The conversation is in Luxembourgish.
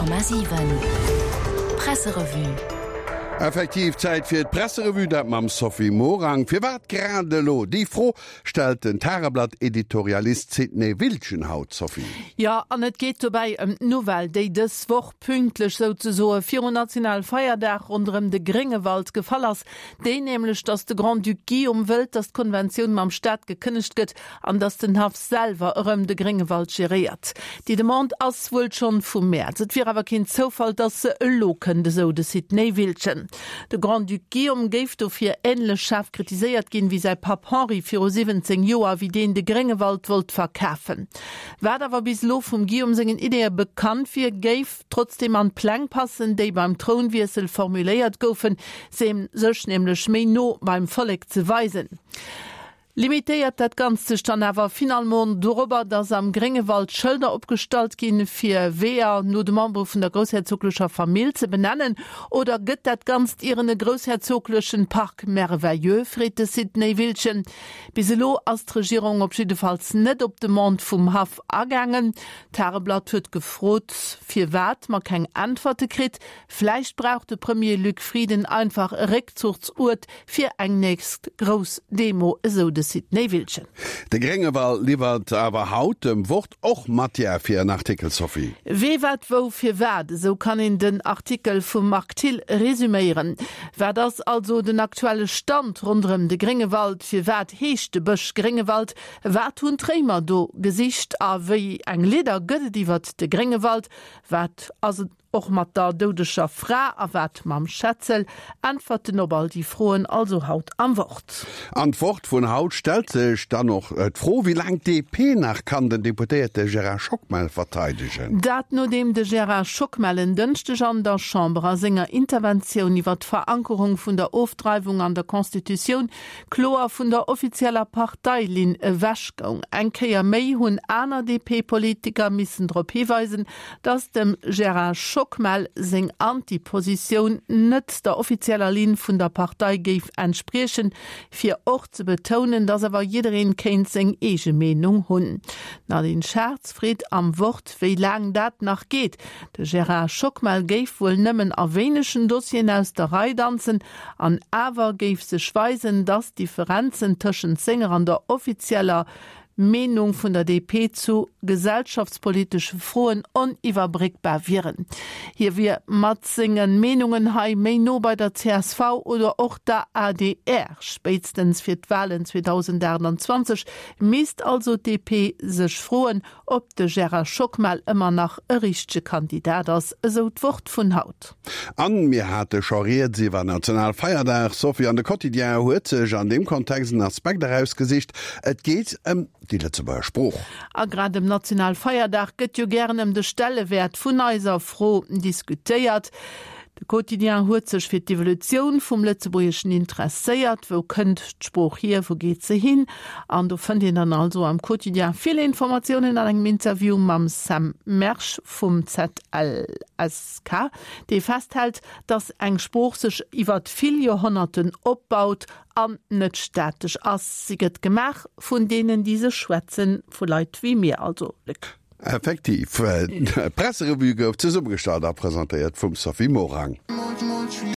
100,7 Presserevue. Effektiv, Zäit fir d'Presserevue, dat mam Sophie Morang. Firwat grad elo? Déi Fro stellt den Tageblatt-Editorialist Sidney Wiltgen haut, Sophie. Jo, an et geet dobäi ëm d'Nouvelle, déi dës Woch pünktlech souzesoe virun Nationalfeierdag ronderëm de Gréngewald gefall ass. Déi nämlech, datt de Grand-Duc Guillaume wëllt, datt d'Konventioun mam Staat gekënnegt gëtt an datt den Haff selwer erëm de Gréngewald geréiert. Déi Demande ass wuel schonn vum Mäerz. Et wier awer keen Zoufall, datt se elo kënnt, esou de Sidney Wiltgen. De Grand-Duc Guillaume géif dofir änlech schaarf kritiséiert ginn, wéi säi Papp Henri viru 17 Joer, wéi deen de Gréngewald wollt verkafen. Wat awer bis elo vum Guillaume sengen Ideeë bekannt wier, géif trotzdeem an d'Pläng passen, déi beim Trounwiessel formuléiert goufen, sech nämlech méi no beim Vollek ze weisen. Limitéiert dat Ganzt sech dann awer finalement dorobber, dass am Gréngewald Schëlder opgestallt ginn, fir Weeër no de Membere vun der groussherzoglecher Famill ze benennen? Oder gëtt dat Ganzt ieren e groussherzoglechen Parc merveilleux? freet de Sidney Wiltgen. Bis elo ass d'Regierung op jiddefalls net op d'Demande vum Haff agaangen. D'Tageblatt huet gefrot, firwat, ma keng Äntwerte kritt. Vläicht brauch de Premier Luc Frieden einfach e Réckzuchsuert fir eng nächst grouss Demo, esou de Sidney Wiltgen. De Gréngewald liwwert awer haut dem Wort och Matière fir en Artikel, Sophie. Wee wat wou firwat, esou kann een den Artikel vum Marc Thill resuméieren. Wat ass also den aktuelle Stand ronderëm de Gréngewald? Firwat heescht de Bësch Gréngewald? Wat hunn d'Réimer do gesicht? A wéi eng Lidder gëtt et iwwert de Gréngewald? Wat ass Och mat der doudeger Fra a wat mam Schetzel? Äntwerten op all déi Froen also haut am Wort. An d'Wort vun haut stellt sech dann och d'Fro, wéi laang d'DP nach kann den Deputéierte Gérard Schockmel verteidegen. Dat nodeem de Gérard Schockmel en Dënschdeg an der Chamber a senger Interventioun iwwer d'Verankerung vun der Ofdreiwung an der Constitutioun kloer vun der offizieller Parteilinn ewech goung. Eng Kéier méi hunn aner DP-Politiker missen drop hiweisen, Datt dem Gérard Schockmel seng Anti-Positioun net der offizieller Linn vun der Partei géif entspriechen, fir och ze betounen, datt awer jiddereen kéint seng eege Meenung hunn. D'Nadine Schartz freet am Wort, wéi laang dat nach geet. De Gérard Schockmel géif wuel nëmmen a wéinegen Dossieren aus der Rei danzen, an awer géif sech weisen, datt d'Differenzen tëschent senger an der offizieller Meenung vun der DP zu gesellschaftspolitesche Froen oniwwerbréckbar wieren. Hie wier mat senge Meenungen hei méi no bei der csv oder och der adr. Spéitstens fir d'Walen 2028 misst also d'DP sech froen, ob de Gérard Schockmel ëmmer nach e richtege Kandidat ass, esou d'Wort vun haut. An mir hate scho rieds iwwer Nationalfeierdag, Sophie, an de Quotidien huet sech an deem Kontext en Aspekt erausgesicht, Et geet ëm déi Lëtzebuerger Sprooch. A grad ëm Nationalfeierdag gëtt jo gären ëm de Stellewäert vun eiser Fro diskutéiert. De Quotidien huet sech fir d'Evolutioun vum Lëtzebuergeschen interesséiert. Wou kënnt d'Sprooch hier, wou geet se hin? An do fënnt een dann also am Quotidien vill Informatiounen an engem Interview mam Sam Mersch vum ZLSK, dee festhält, datt eng Sprooch sech iwwert vill Joerhonnerten opbaut an net statesch ass. Si gëtt gemaach vun deenen, déi se schwätzen, vu Leit wéi mir also, Luc. Effektiv, d'Presserevue gouf zesummegestallt a presentéiert vum Sophie Morang.